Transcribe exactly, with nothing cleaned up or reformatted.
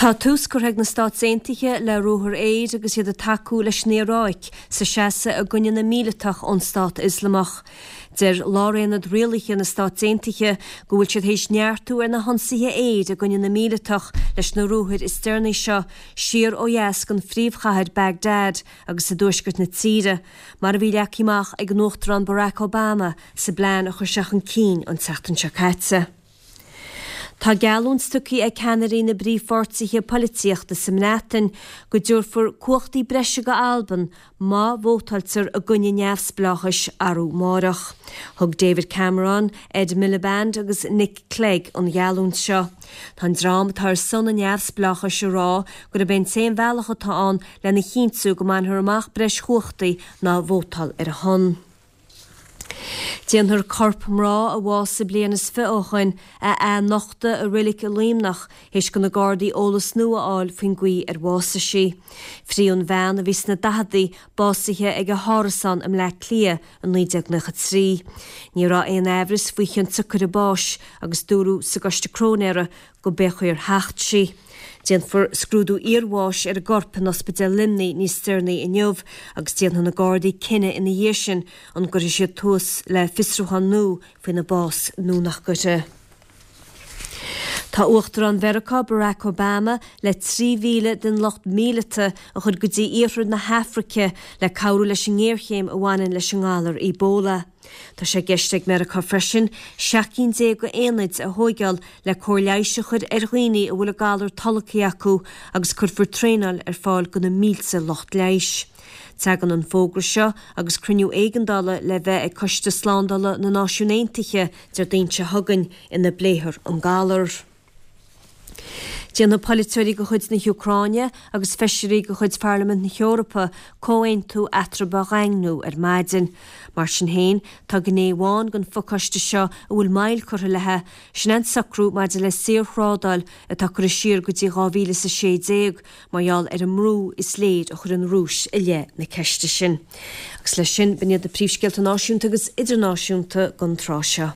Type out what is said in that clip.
Tá tús curtha ag na Stáit Aontaithe le ruathar aeir agus iad ag tacú leis an Iaráic sa seasamh i gcoinne na míleatach ón Stát Ioslamach. Deir Lárionad Rialaithe na Stát Aontaithe go bhfuil siad théis neartú ar na hionsaithe aeir i gcoinne na míleatach leis na ruathair is deireanaí seo siar ó dheas den phríomhchathair Baghdad agus i dtuaisceart na tíre, mar a bhí leagtha amach ag an Uachtarán Barack Obama sa bplean a chuir sé chun cinn an tseachtain seo caite. Tá geallúint tugtha ag ceannairí na bpríomhpháirtithe polaitíochta sa mBreatain go dtabharfar cumhachtaí breise go Albain má vótáiltear i gcoinne neamhspleáchais arú amárach. Thug David Cameron, Ed Miliband agus Nick Clegg an gheallúint seo. Tá an dream atá ar son an neamhspleáchais ag rá gurb é an t-aon bhealach atá ann lena chinntiú go mbainfear amach breis chumhachtaí ná vótáil ar a shon. Déanfar corp mná a bhásaigh bliain is fiche ó shin a athnochtadh i reilig i Luimneach théis do na Gardaí eolas nua a fháil faoin gcaoi ar bhásaigh sí. Fríodh an bhean a bhí sna daicheadaí básaithe ag a hárasán i mBleá Cliath i naoi déag nócha trí. Ní raibh aon amhras faoi chionsiocair a báis agus dúradh sa gcoiste cróinéara go b'é chaoi ar thacht sí. Déanfar scrúdú iarbháis ar an gcorp in Ospidéal Luimnigh níos deireanaí inniu agus déanfaidh na Gardaí cinneadh ina dhiaidh sin an gcuirfidh siad tús le fiosrúchán nua faoina bás nó nach gcuirfidh. Tá Uachtarán Mheiriceá Barack Obama le trí mhíle den lucht míleata a chur go dtí iarthar na hAfraice le cabhrú leis an ngéarchéim a bhaineann leis an ngalar Ebola. Tá sé i gceist ag Meiriceá freisin seacht gcinn déag d'aonaid a thóigeáil le cóir leighis a chur ar dhaoine a bhfuil an galar tolgtha acu agus cuirfear traenáil ar fáil do na mílte lucht leighis. Tagann an fógra seo agus cruinniú éigeandála le bheith ag Coiste Slándála na Náisiún Aontaithe Déardaoin seo chugainn ina bpléifear an galar. Déanfaidh polaiteoirí de chuid na hÚcráine agus feisirí de chuid Pharlaimint na hEorpa comhaontú eatarthu a dhaingniú ar maidin. Mar sin féin, tá gné amháin den phacáiste seo a bhfuil moill curtha léi, sin an socrú maidir le saorthrádáil atá curtha siar go dtí dhá mhíle is a sé déag mar gheall ar an mbrú is léir a chuir an Rúis i leith na ceiste sin. Agus leis sin, b'in iad na príomhscéalta náisiúnta agus idirnáisiúnta don tráth seo.